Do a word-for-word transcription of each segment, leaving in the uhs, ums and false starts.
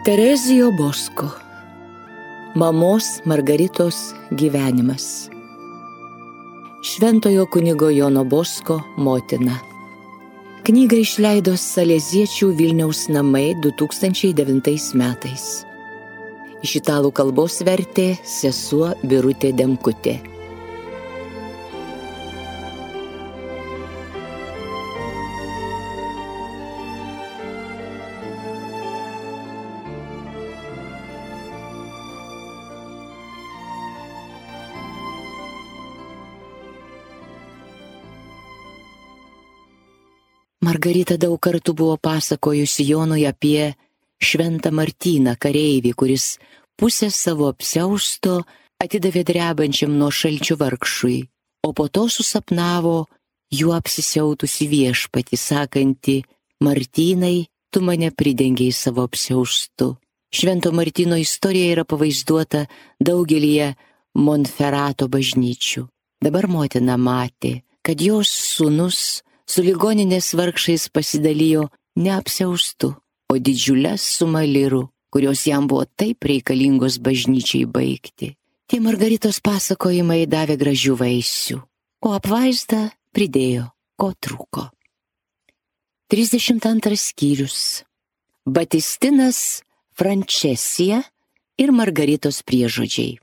Terezijo Bosko. Mamos Margaritos gyvenimas. Šventojo kunigo Jono Bosko motina. Knygą išleido Saleziečių Vilniaus namai du tūkstančiai devintais metais. Iš italų kalbos vertė sesuo Birutė Demkutė. Margarita daug kartų buvo pasakojusi Jonui apie šventą Martyną kareivį, kuris pusę savo apsiausto atidavė drebančiam nuo šalčių vargšui, o po to susapnavo juo apsisiautusi viešpatį, sakantį: Martynai, tu mane pridengiai savo apsiaustu. Švento Martyno istorija yra pavaizduota daugelyje Monferato bažnyčių. Dabar motina matė, kad jos sūnus su ligoninės vargšais pasidalijo ne apsiaustu, o didžiulės sumą lirų, kurios jam buvo taip reikalingos bažnyčiai baigti. Tie Margaritos pasakojimai davė gražių vaisių, o apvaizda pridėjo, ko trūko. trisdešimt antras skyrius. Batistinas, Francesija ir Margaritos priežodžiai.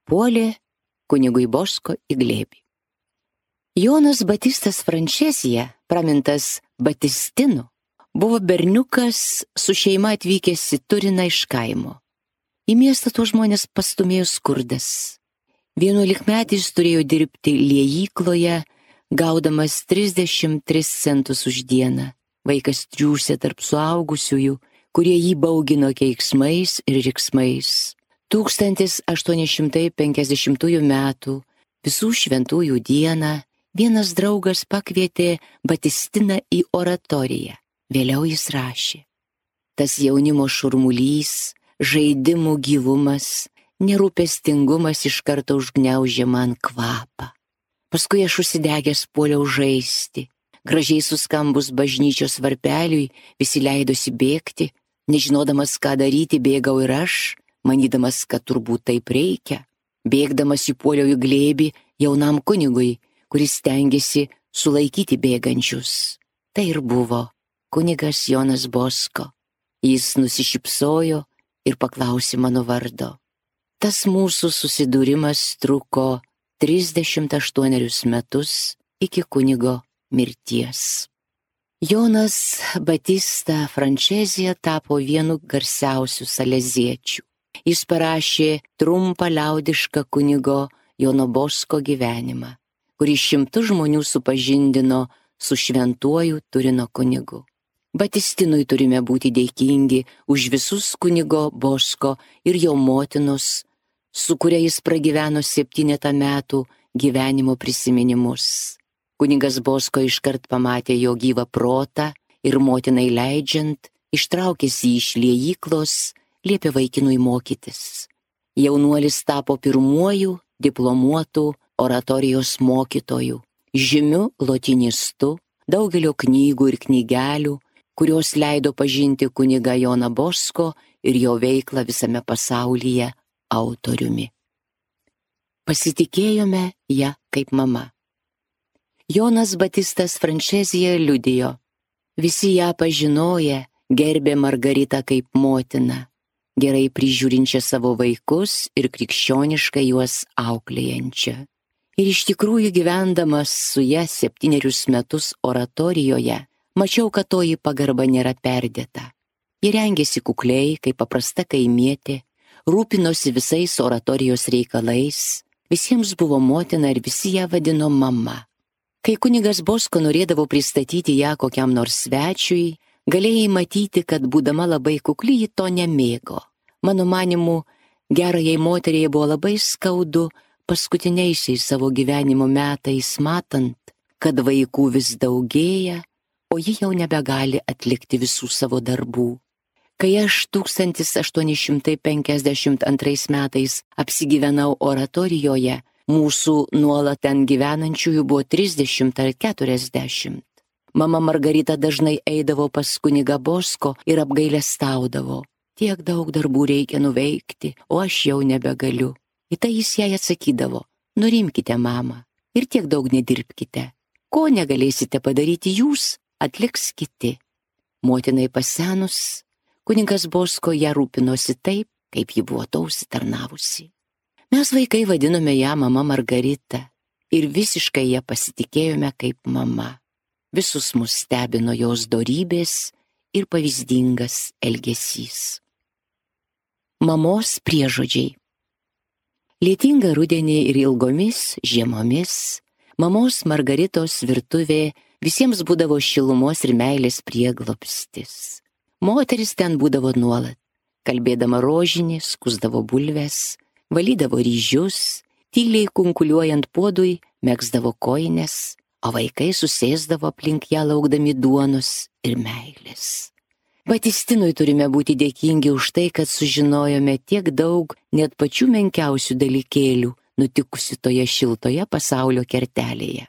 Puolė kunigui Bosko į glėbį. Jonas Batistas Francesija, pramintas Batistinu, buvo berniukas su šeima atvykęs į Turiną iš kaimo. Į miestą tuos žmonės pastūmėjo skurdas. Vienuolikmetis turėjo dirbti liejykloje, gaudamas trisdešimt tris centus už dieną. Vaikas triūsė tarp suaugusiųjų, kurie jį baugino keiksmais ir riksmais. tūkstantis aštuoni šimtai penkiasdešimtųjų metų visų šventųjų dieną vienas draugas pakvietė Batistiną į oratoriją. Vėliau jis rašė: tas jaunimo šurmulys, žaidimų gyvumas, nerūpestingumas iš karto užgniaužė man kvapą. Paskui aš užsidegęs puoliau žaisti. Gražiai suskambus bažnyčios varpeliui visi leidosi bėgti. Nežinodamas, ką daryti, bėgau ir aš, manydamas, kad turbūt taip reikia. Bėgdamas įpuoliau į glėbį jaunam kunigui, kuris stengiasi sulaikyti bėgančius. Tai ir buvo kunigas Jonas Bosko. Jis nusišypsojo ir paklausė mano vardo. Tas mūsų susidūrimas truko trisdešimt aštuonerius metus iki kunigo mirties. Jonas Batista Francesija tapo vienu garsiausių saleziečių. Jis parašė trumpą liaudišką kunigo Jono Bosko gyvenimą, kuris šimtus žmonių supažindino su šventuoju Turino kunigu. Batistinui turime būti dėkingi už visus kunigo Bosko ir jo motinos, su kuria jis pragyveno septynetą metų gyvenimo prisiminimus. Kunigas Bosko iškart pamatė jo gyvą protą ir motinai leidžiant, ištraukęs jį iš liejyklos, liepė vaikinui mokytis. Jaunuolis tapo pirmuoju diplomuotų oratorijos mokytojų, žymiu lotinistu, daugelio knygų ir knygelių, kurios leido pažinti kunigą Joną Bosko ir jo veiklą visame pasaulyje autoriumi. Pasitikėjome ją kaip mama. Jonas Batistas Francesija liudijo: visi ją pažinoję gerbė Margaritą kaip motiną, gerai prižiūrinčią savo vaikus ir krikščioniškai juos auklėjančią. Ir iš tikrųjų gyvendamas su ja septynerius metus oratorijoje, mačiau, kad toji pagarba nėra perdėta. Ji rengėsi kukliai, kaip paprasta kaimietė, rūpinosi visais oratorijos reikalais, visiems buvo motina ir visi ją vadino mama. Kai kunigas Bosko norėdavo pristatyti ją kokiam nors svečiui, galėjai matyti, kad būdama labai kukli ji to nemėgo. Mano manimu, gerajai moteriai buvo labai skaudu paskutiniaisiais savo gyvenimo metais matant, kad vaikų vis daugėja, o ji jau nebegali atlikti visų savo darbų. Kai aš tūkstantis aštuoni šimtai penkiasdešimt antrais metais apsigyvenau oratorijoje, Mūsų nuolat ten gyvenančiųjų buvo trisdešimt ar keturiasdešimt. Mama Margarita dažnai eidavo pas kunigą Bosko ir apgailestaudavo. Tiek daug darbų reikia nuveikti, o aš jau nebegaliu. Į tai jis jai atsakydavo: nurimkite, mama, ir tiek daug nedirbkite. Ko negalėsite padaryti jūs, atliks kiti. Motinai pasenus, kunigas Bosko ją rūpinosi taip, kaip ji buvo to užsitarnavusi. Mes vaikai vadinome ją mama Margarita ir visiškai ją pasitikėjome kaip mama. Visus mus stebino jos dorybės ir pavyzdingas elgesys. Mamos priežodžiai. Lietingą rudenį ir ilgomis žiemomis mamos Margaritos virtuvė visiems būdavo šilumos ir meilės prieglobstis. Moteris ten būdavo nuolat. Kalbėdama rožinį, skusdavo bulves, valydavo ryžius, tyliai kunkuliuojant puodui, megzdavo kojines, o vaikai susėsdavo aplink ją laukdami duonos ir meilės. Batistinui turime būti dėkingi už tai, kad sužinojome tiek daug net pačių menkiausių dalykėlių nutikusių toje šiltoje pasaulio kertelėje.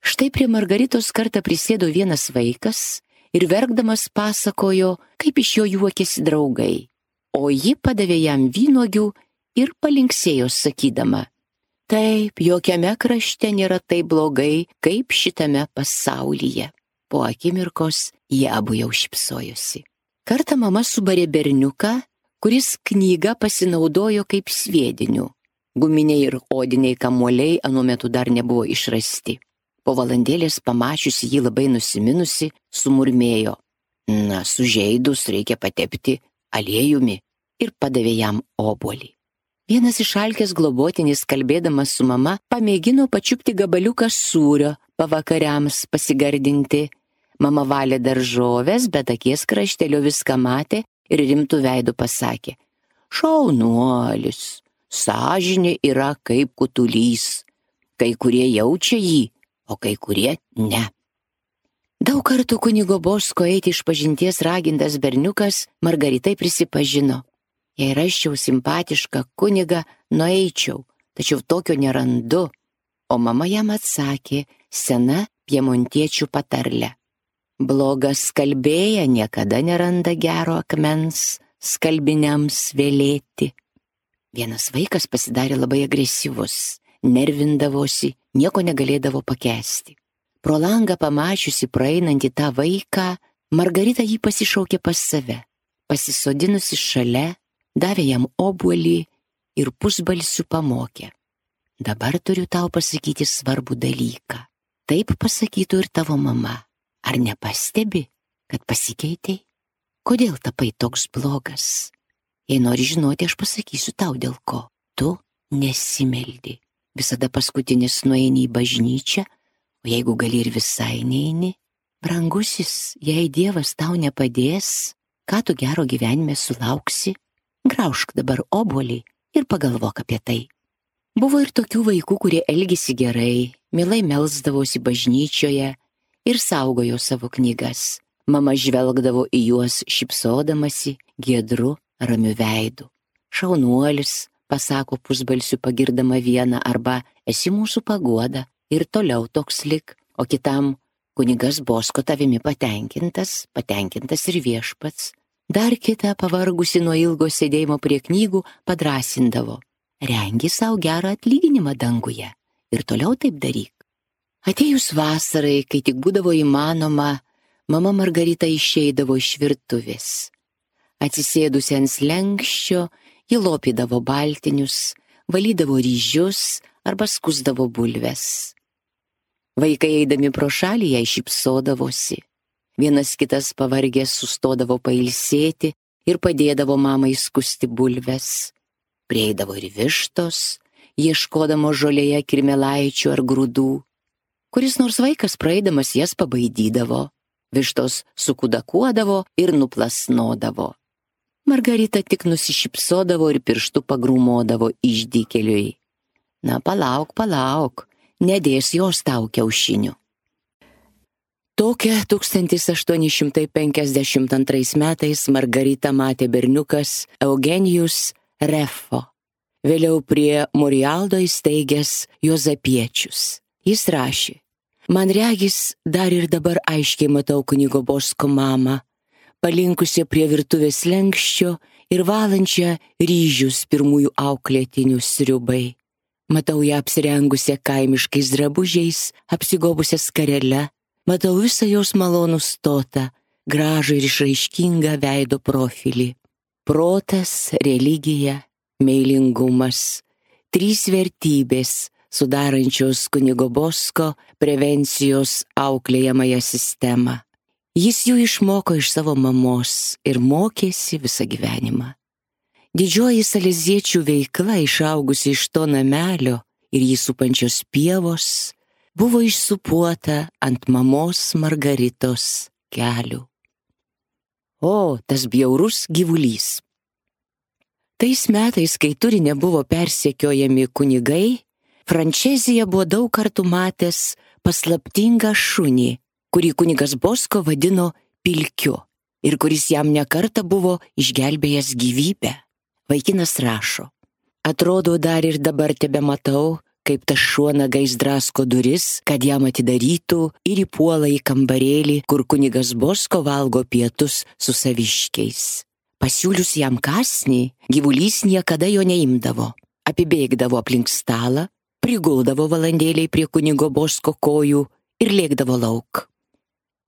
Štai prie Margaritos kartą prisėdo vienas vaikas ir verkdamas pasakojo, kaip iš jo juokėsi draugai, o ji padavė jam vynuogių ir palinksėjo sakydama: taip, jokiame krašte nėra taip blogai, kaip šitame pasaulyje. Po akimirkos jie abu jau šypsojosi. Kartą mama subarė berniuką, kuris knygą pasinaudojo kaip sviediniu. Guminiai ir odiniai kamuoliai anuo metu dar nebuvo išrasti. Po valandėlės pamačiusi jį labai nusiminusi, sumurmėjo: na, sužeidus reikia patepti aliejumi, ir padavė jam obuolį. Vienas išalkęs globotinis, kalbėdamas su mama, pamėgino pačiupti gabaliuką sūrio pavakariams pasigardinti. Mama valė daržoves, bet akies kraštelio viską matė ir rimtų veidų pasakė: šaunuolis, sąžinė yra kaip kutulys. Kai kurie jaučia jį, o kai kurie ne. Daug kartų kunigo Bosko eiti iš pažinties ragintas berniukas Margaritai prisipažino: jei rasčiau simpatišką kunigą, nueičiau, tačiau tokio nerandu. O mama jam atsakė sena piemontiečių patarlė: blogas skalbėja niekada neranda gero akmens skalbiniams vėlėti. Vienas vaikas pasidarė labai agresyvus, nervindavosi, nieko negalėdavo pakęsti. Pro langą pamačiusi praeinantį tą vaiką, Margarita jį pasišaukė pas save. Pasisodinusi šalia, davė jam obuolį ir pusbalsiu pamokė: dabar turiu tau pasakyti svarbų dalyką. Taip pasakytų ir tavo mama. Ar nepastebi, kad pasikeitei? Kodėl tapai toks blogas? Jei nori žinoti, aš pasakysiu tau dėl ko. Tu nesimeldi. Visada paskutinis nueini į bažnyčią, o jeigu gali ir visai neini. Brangusis, jei Dievas tau nepadės, ką tu gero gyvenime sulauksi? Graužk dabar obuolį ir pagalvok apie tai. Buvo ir tokių vaikų, kurie elgėsi gerai, mielai melsdavosi bažnyčioje ir saugojo savo knygas. Mama žvelgdavo į juos šypsodamasi, giedru, ramiu veidu. Šaunuolis, pasako pusbalsiu pagirdama vieną, arba esi mūsų paguoda ir toliau toks lik, o kitam: kunigas Bosko tavimi patenkintas, patenkintas ir viešpats. Dar kitą, pavargusi nuo ilgo sėdėjimo prie knygų, padrasindavo: rengi savo gerą atlyginimą danguje ir toliau taip daryk. Atėjus vasarai, kai tik būdavo įmanoma, mama Margarita išeidavo iš virtuvės. Atsisėdusi ant slenksčio, ji lopydavo baltinius, valydavo ryžius arba skusdavo bulves. Vaikai eidami pro šalį jai šypsodavosi. Vienas kitas pavargęs sustodavo pailsėti ir padėdavo mamai skusti bulves. Prieidavo ir vištos, ieškodamo žolėje kirmelaičių ar grūdų. Kuris nors vaikas praeidamas jas pabaidydavo. Vištos sukudakuodavo ir nuplasnodavo. Margarita tik nusišypsodavo ir pirštu pagrūmodavo išdykėliui: na, palauk, palauk, nedės jos tau kiaušinių. Tokią tūkstantis aštuoni šimtai penkiasdešimt antrais metais Margarita matė berniukas Eugenijus Refo. vėliau prie Morialdo įsteigęs Juozapiečius. Jis rašė: man regis, dar ir dabar aiškiai matau kunigo Bosko mamą, palinkusią prie virtuvės lenkščio ir valančią ryžius pirmųjų auklėtinių sriubai. Matau ją apsirengusią kaimiškais drabužiais, apsigobusią skarele, matau visą jos malonų stotą, gražų ir išraiškingą veido profilį. Protas, religija, meilingumas – trys vertybės, sudarančios kunigo Bosko prevencijos auklėjamąją sistemą. Jis jų išmoko iš savo mamos ir mokėsi visą gyvenimą. Didžioji saleziečių veikla, išaugusi iš to namelio ir jį supančios pievos, buvo išsupuota ant mamos Margaritos kelių. O, tas bjaurus gyvulys. Tais metais, kai Turine buvo persekiojami kunigai, Frančezija buvo daug kartų matęs paslaptingą šunį, kurį kunigas Bosko vadino Pilkiu ir kuris jam nekartą buvo išgelbėjęs gyvybę. Vaikinas rašo: atrodo, dar ir dabar tebematau, kaip tas šuo nagais drasko duris, kad jam atidarytų, ir įpuola į kambarėlį, kur kunigas Bosko valgo pietus su saviškiais. Pasiūlius jam kąsnį, gyvulys niekada jo neimdavo. Apibėgdavo aplink stalą, priguldavo valandėliai prie kunigo Bosko kojų ir lėkdavo lauk.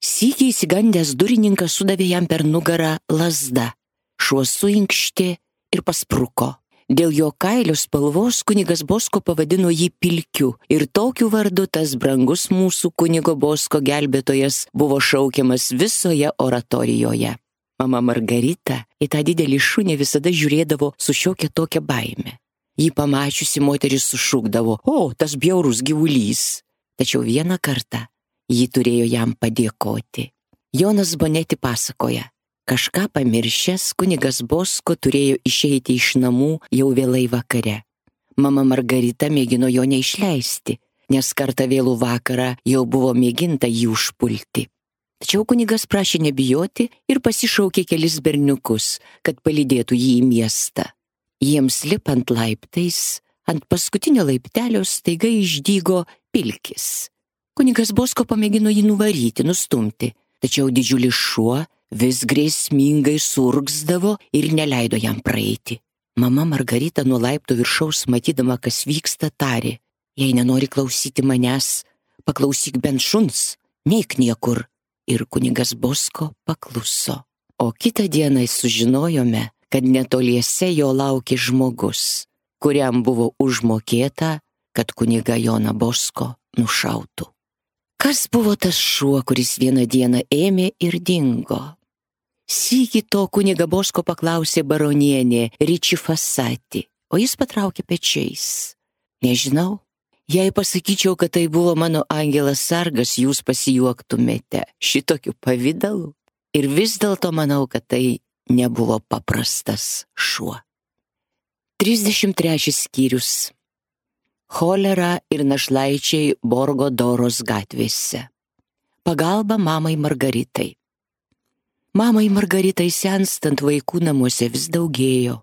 Sykį įsigandęs durininkas sudavė jam per nugarą lazdą. Šuo suinkštė ir paspruko. Dėl jo kailio spalvos kunigas Bosko pavadino jį Pilkiu ir tokiu vardu tas brangus mūsų kunigo Bosko gelbėtojas buvo šaukiamas visoje oratorijoje. Mama Margarita į tą didelį šunį visada žiūrėdavo su šiokia tokia baime. Jį pamačiusi moteris sušūkdavo: o, tas bjaurus gyvulys. Tačiau vieną kartą ji turėjo jam padėkoti. Jonas Boneti pasakoja: kažką pamiršęs, kunigas Bosko turėjo išeiti iš namų jau vėlai vakare. Mama Margarita mėgino jo neišleisti, nes kartą vėlų vakarą jau buvo mėginta jį užpulti. Tačiau kunigas prašė nebijoti ir pasišaukė kelis berniukus, kad palydėtų jį į miestą. Jiems lipant laiptais, ant paskutinio laiptelio staiga išdygo Pilkis. Kunigas Bosko pamėgino jį nuvaryti, nustumti, tačiau didžiulis šuo vis grėsmingai surgzdavo ir neleido jam praeiti. Mama Margarita nuo laiptų viršaus, matydama, kas vyksta, tarė: jei nenori klausyti manęs, paklausyk bent šuns, neik niekur. Ir kunigas Bosko pakluso. O kitą dieną sužinojome, kad netoliese jo laukė žmogus, kuriam buvo užmokėta, kad kunigą Joną Bosko nušautų. Kas buvo tas šuo, kuris vieną dieną ėmė ir dingo? Sykį to kunigą Bosko paklausė baronienė Riči Fasati, o jis patraukė pečiais. Nežinau, jei pasakyčiau, kad tai buvo mano angelas sargas, jūs pasijuoktumėte šitokiu pavidalu. Ir vis dėlto manau, kad tai nebuvo paprastas šuo. trisdešimt trečias skyrius. Cholera ir našlaičiai Borgo Doros gatvėse. Pagalba mamai Margaritai. Mamai Margaritai senstant vaikų namuose vis daugėjo.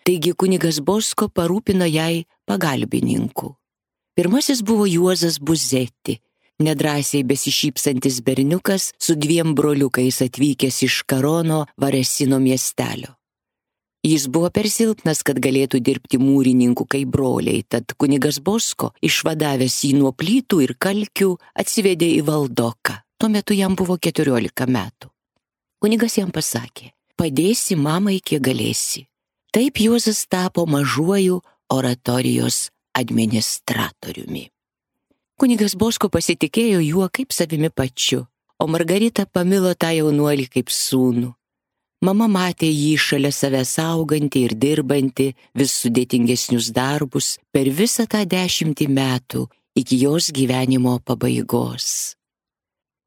Taigi kunigas Bosko parūpino jai pagalbininkų. Pirmasis buvo Juozas Buzeti, nedrąsiai besišypsantis berniukas su dviem broliukais atvykęs iš Karono Varesino miestelio. Jis buvo per silpnas, kad galėtų dirbti mūrininku kaip broliai, tad kunigas Bosko, išvadavęs jį nuo plytų ir kalkių, atsivedė į Valdoką. Tuo metu jam buvo keturiolika metų. Kunigas jam pasakė: padėsi mamai, kiek galėsi. Taip Juozas tapo mažuoju oratorijos administratoriumi. Kunigas Bosko pasitikėjo juo kaip savimi pačiu, o Margarita pamilo tą jaunuolį kaip sūnų. Mama matė jį šalia savęs augantį ir dirbantį vis sudėtingesnius darbus per visą tą dešimtį metų iki jos gyvenimo pabaigos.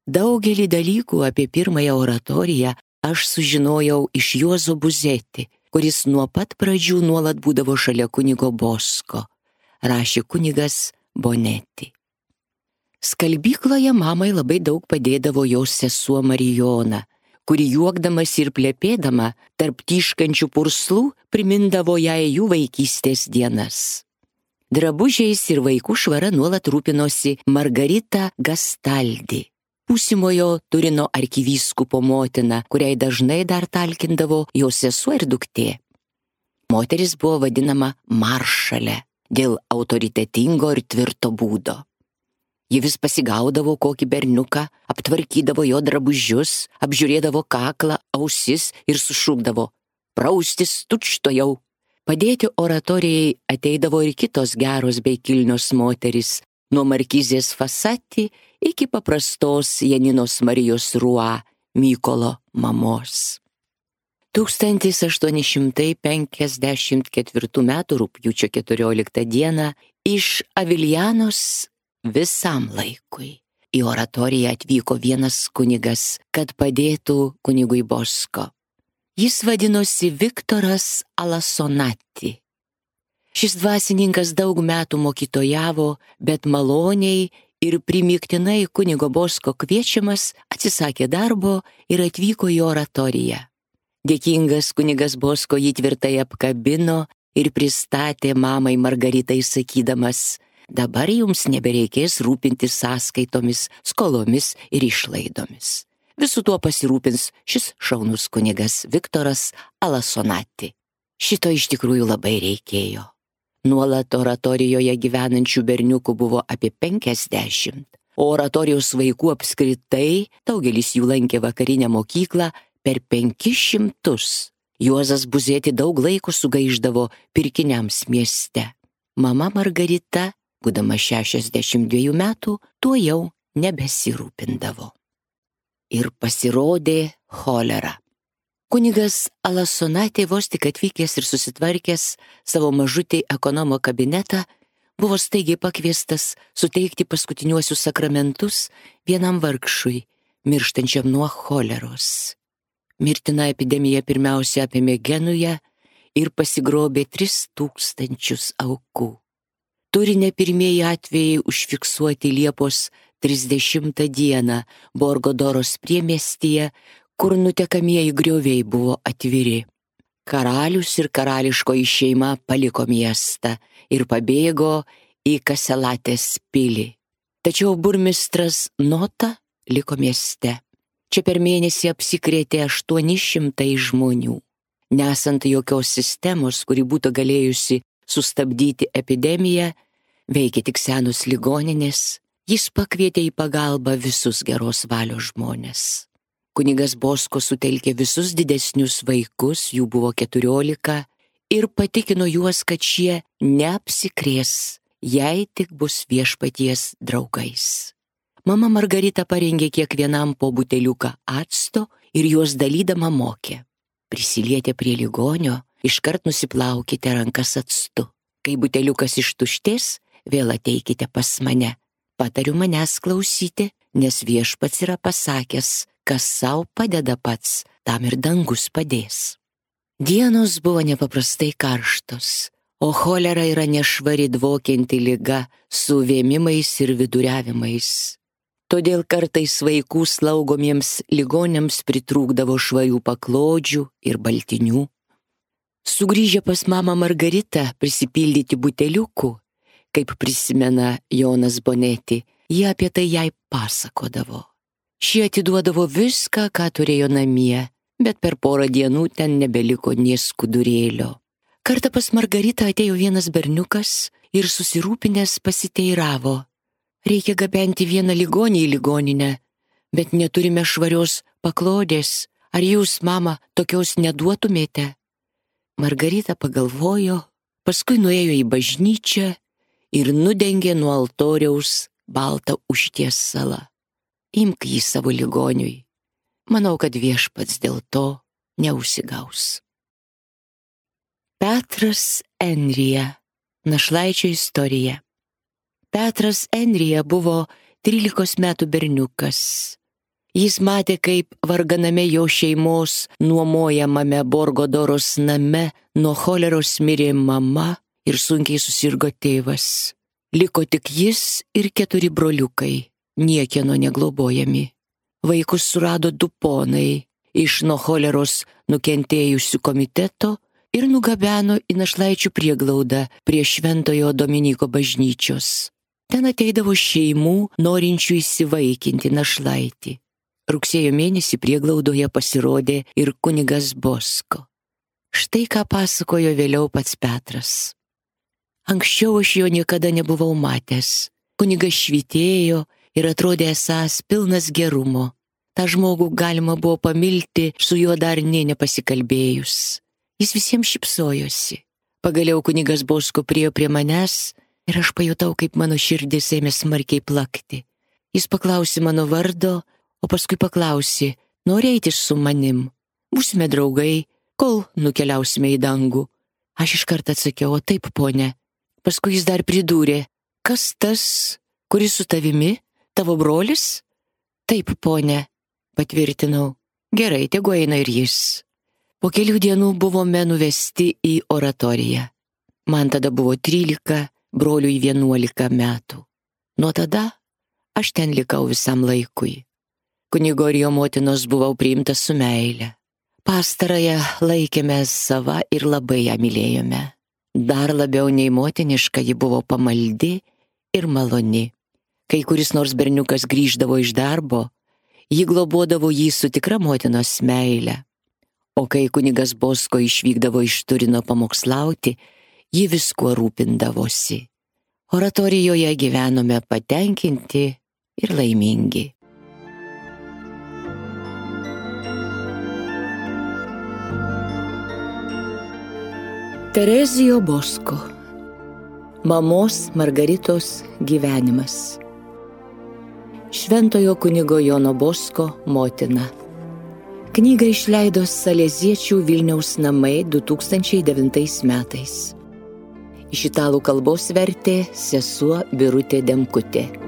Daugelį dalykų apie pirmąją oratoriją aš sužinojau iš Juozo Buzeti, kuris nuo pat pradžių nuolat būdavo šalia kunigo Bosko, rašė kunigas Boneti. Skalbykloje mamai labai daug padėdavo jos sesuo Marijona, kuri juokdamas ir plepėdama tarp tyškančių purslų primindavo jai jų vaikystės dienas. Drabužiais ir vaikų švara nuolat rūpinosi Margarita Gastaldi, būsimojo Turino arkivyskupo motina, kuriai dažnai dar talkindavo jos sesuo ir duktė. Moteris buvo vadinama maršale dėl autoritetingo ir tvirto būdo. Ji vis pasigaudavo kokį berniuką, aptvarkydavo jo drabužius, apžiūrėdavo kaklą, ausis ir sušūkdavo: praustis tučtojau. Padėti oratorijai ateidavo ir kitos geros bei kilnios moteris, nuo markizės Fasati iki paprastos Janinos Marijos Rua, Mykolo mamos. tūkstantis aštuoni šimtai penkiasdešimt ketvirtų metų rugpjūčio keturioliktą dieną iš Aviljanos visam laikui į oratoriją atvyko vienas kunigas, kad padėtų kunigui Bosko. Jis vadinosi Viktoras Alasonati. Šis dvasininkas daug metų mokytojavo, bet maloniai ir primygtinai kunigo Bosko kviečiamas atsisakė darbo ir atvyko į oratoriją. Dėkingas kunigas Bosko jį tvirtai apkabino ir pristatė mamai Margaritai sakydamas: dabar jums nebereikės rūpintis sąskaitomis, skolomis ir išlaidomis. Visų tuo pasirūpins šis šaunus kunigas Viktoras Alasonati. Šito iš tikrųjų labai reikėjo. Nuolat oratorijoje gyvenančių berniukų buvo apie penkiasdešimt, o oratorijos vaikų apskritai, daugelis jų lankė vakarinę mokyklą, per penkis šimtus. Juozas Buzėti daug laiko sugaišdavo pirkiniams mieste. Mama Margarita, būdama šešiasdešimt dviejų metų, tuo jau nebesirūpindavo. Ir pasirodė cholera. Kunigas Alasonati vos tik atvykęs ir susitvarkęs savo mažutį ekonomo kabinetą, buvo staigiai pakviestas suteikti paskutiniuosius sakramentus vienam vargšui, mirštančiam nuo choleros. Mirtina epidemija pirmiausia apėmė Genują ir pasigrobė tris tūkstančius aukų. Turine pirmieji atvejai užfiksuoti Liepos trisdešimtą dieną Borgodoros priemiestyje, kur nutekamieji grioviai buvo atviri. Karalius ir karališkoji šeima paliko miestą ir pabėgo į Kaselatės pilį. Tačiau burmistras Nota liko mieste. Čia per mėnesį apsikrėtė aštuoni šimtai žmonių. Nesant jokios sistemos, kuri būtų galėjusi sustabdyti epidemiją, veikė tik senos ligoninės, jis pakvietė į pagalbą visus geros valios žmonės. Kunigas Bosko sutelkė visus didesnius vaikus, jų buvo keturiolika, ir patikino juos, kad šie neapsikrės, jei tik bus viešpaties draugais. Mama Margarita parengė kiekvienam po buteliuką acto ir juos dalydama mokė: prisilietę prie ligonio, iškart nusiplaukite rankas actu. Kai buteliukas ištuštės, vėl ateikite pas mane. Patariu manęs klausyti, nes viešpats yra pasakęs, kas sau padeda pats, tam ir dangus padės. Dienos buvo nepaprastai karštos, o cholera yra nešvari dvokianti liga su vėmimais ir viduriavimais. Todėl kartais vaikų slaugomiems ligoniams pritrūkdavo švarių paklodžių ir baltinių. Sugrįžę pas mamą Margaritą prisipildyti buteliukų, kaip prisimena Jonas Boneti, jie apie tai jai pasakodavo. Šie atiduodavo viską, ką turėjo namie, bet per porą dienų ten nebeliko nė skudurėlio. Kartą pas Margaritą atėjo vienas berniukas ir susirūpinęs pasiteiravo: reikia gabenti vieną ligonį į ligoninę, bet neturime švarios paklodės. Ar jūs, mama, tokios neduotumėte? Margarita pagalvojo, paskui nuėjo į bažnyčią ir nudengė nuo altoriaus baltą užtiesalą. Imk jį savo ligoniui. Manau, kad viešpats dėl to neužsigaus. Petras Enrija. Našlaičio istorija. Petras Enrija buvo trylikos metų berniukas. Jis matė, kaip varganame jo šeimos nuomojamame Borgodoros name nuo choleros mirė mama ir sunkiai susirgo tėvas. Liko tik jis ir keturi broliukai, niekieno neglobojami. Vaikus surado du ponai iš nuo choleros nukentėjusių komiteto ir nugabeno į našlaičių prieglaudą prie Šventojo Dominyko bažnyčios. Ten ateidavo šeimų norinčių įsivaikinti našlaitį. Rugsėjo mėnesį prieglaudoje pasirodė ir kunigas Bosko. Štai ką pasakojo vėliau pats Petras. Anksčiau aš jo niekada nebuvau matęs. Kunigas švytėjo ir atrodė esąs pilnas gerumo. Ta žmogų galima buvo pamilti, su juo dar nė nepasikalbėjus. Jis visiems šypsojosi. Pagaliau kunigas Bosko priėjo prie manęs ir aš pajutau, kaip mano širdis ėmė smarkiai plakti. Jis paklausė mano vardo, o paskui paklausė, nori eiti su manim? Būsime draugai, kol nukeliausime į dangų. Aš iškart atsakiau, o taip, ponė. Paskui jis dar pridūrė, kas tas, kuris su tavimi, tavo brolis? Taip, ponė, patvirtinau. Gerai, tegu eina ir jis. Po kelių dienų buvome nuvesti į oratoriją. Man tada buvo trylika, broliui vienuolika metų. Nuo tada aš ten likau visam laikui. Kunigo ir jo motinos buvau priimtas su meile. Pastarąją laikėme sava ir labai ją mylėjome. Dar labiau nei motiniška ji buvo pamaldi ir maloni. Kai kuris nors berniukas grįždavo iš darbo, ji globodavo jį su tikra motinos meile. O kai kunigas Bosko išvykdavo iš Turino pamokslauti, ji viskuo rūpindavosi. Oratorijoje gyvenome patenkinti ir laimingi. Terezijo Bosko. Mamos Margaritos gyvenimas. Šventojo kunigo Jono Bosko motina. Knygą išleido Saleziečių Vilniaus namai du tūkstančiai devintais metais. Iš italų kalbos vertė sesuo Birutė Demkutė.